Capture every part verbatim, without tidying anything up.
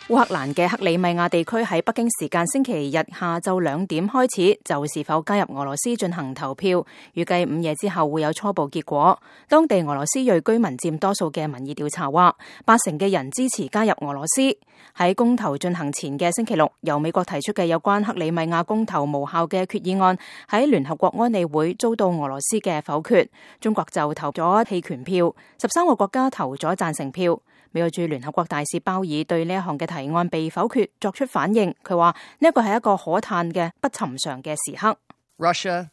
烏克蘭嘅克里米亞地區喺北京時間星期日下晝兩點開始就是否加入俄羅斯進行投票，預計午夜之後會有初步結果。當地俄羅斯裔居民佔多數嘅民意調查話，八成嘅人支持加入俄羅斯。喺公投進行前嘅星期六，由美國提出嘅有關克里米亞公投無效嘅決議案喺聯合國安理會遭到俄羅斯嘅否決，中國就投咗棄權票，十三個國家投咗贊成票。美國駐聯合國大使鮑爾對呢一項嘅提案被否決作出反應，佢話呢一個係一個可嘆嘅不尋常嘅時刻。Russia,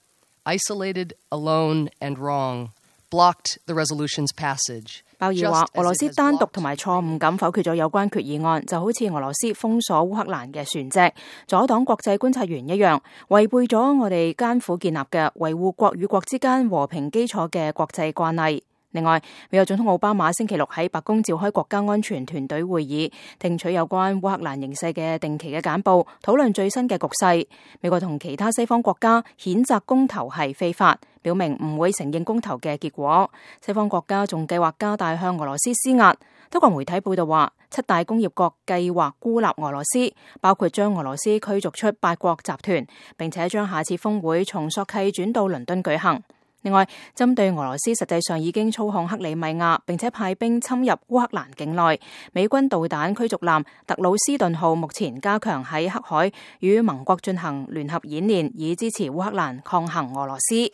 isolated, alone and wrong, blocked the resolution's passage. 鮑爾話俄羅斯單獨同埋錯誤咁否決咗有關決議案，就好似俄羅斯封鎖烏克蘭嘅船隻，阻擋國際觀察員一樣，違背咗我哋艱苦建立嘅維護國與國之間和平基礎嘅國際慣例。另外，美國總統奧巴馬星期六喺白宮召開國家安全團隊會議，聽取有關烏克蘭形勢嘅定期嘅簡報，討論最新嘅局勢。美國同其他西方國家譴責公投係非法，表明唔會承認公投嘅結果。西方國家仲計劃加大向俄羅斯施壓。德國媒體報道話，七大工業國計劃孤立俄羅斯，包括將俄羅斯驅逐出八國集團，並且將下次峰會從索契轉到倫敦舉行。另外，針對俄羅斯實際上已經操控克里米亞，並且派兵侵入烏克蘭境內，美軍導彈驅逐艦特魯斯頓號目前加強喺黑海與盟國進行聯合演練，以支持烏克蘭抗衡俄羅斯。